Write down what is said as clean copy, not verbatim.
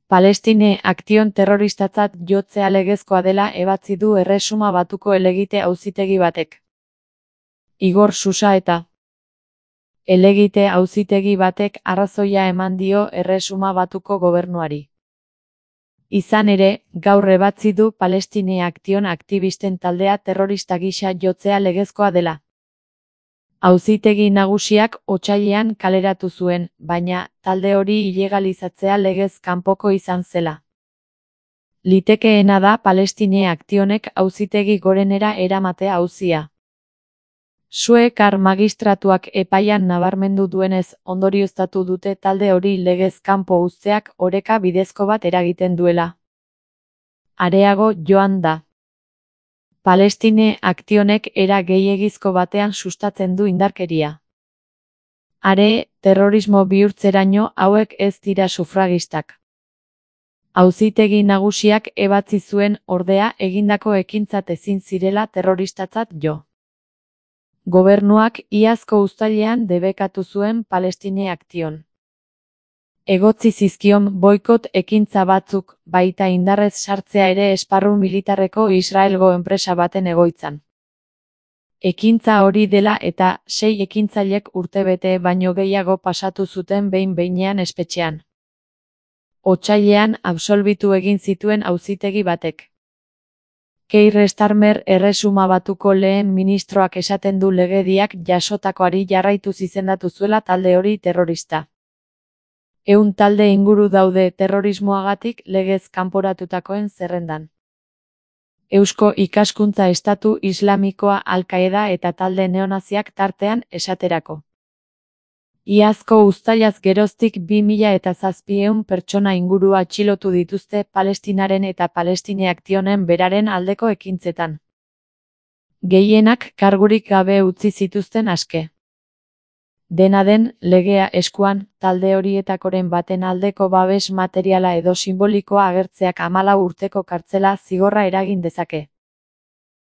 Palestine Aktion terroristatzat jotzea legezkoa dela ebatzi du Erresuma Batuko helegite auzitegi batek. Igor Xuxa helegite auzitegi batek arrazoia eman dio Erresuma Batuko gobernuari. Izan ere, gaur ebatzi du Palestine Aktion aktivisten taldea terrorista gisa jotzea legezkoa dela. Auzitegi nagusiak otsailean kaleratu zuen, baina talde hori ilegalizatzea legez kanpoko izan zela. Litekeena da Palestine Aktionek auzitegi gorenera eramatea auzia. Suekar magistratuak epaian nabarmendu duenez, ondorioztatu dute talde hori legez kanpo uzteak oreka bidezko bat eragiten duela. Areago joan da. Palestine Aktionek era gehiegizko batean sustatzen du indarkeria. Are, terrorismo bihurtzeraino hauek ez dira sufragistak. Auzitegi nagusiak ebatzi zuen ordea egindako ekintzat ezin zirela terroristatzat jo. Gobernuak iazko uztailean debekatu zuen Palestine Aktion. Egotzi zizkion boikot ekintza batzuk, baita indarrez sartzea ere esparru militarreko Israelgo enpresa baten egoitzan. Ekintza hori dela eta 6 ekintzailek urtebete baino gehiago pasatu zuten behin-behinean espetxean. Otsailean absolbitu egin zituen auzitegi batek. Keir Starmer Erresuma Batuko lehen ministroak esaten du legediak jasotakoari jarraituz izendatu zuela talde hori terrorista. 100 talde inguru daude terrorismoagatik legez kanporatutakoen zerrendan. Eusko Ikaskuntza Estatu Islamikoa Al-Qaeda eta talde neonaziak tartean esaterako. Iazko uztailaz geroztik 2700 pertsona inguru atxilotu dituzte Palestinaren eta Palestine Aktionen beraren aldeko ekintzetan. Gehienak kargurik gabe utzi zituzten aske. Dena den, legea eskuan, talde horietakoren baten aldeko babes materiala edo simbolikoa agertzeak 14 urteko kartzela zigorra eragin dezake.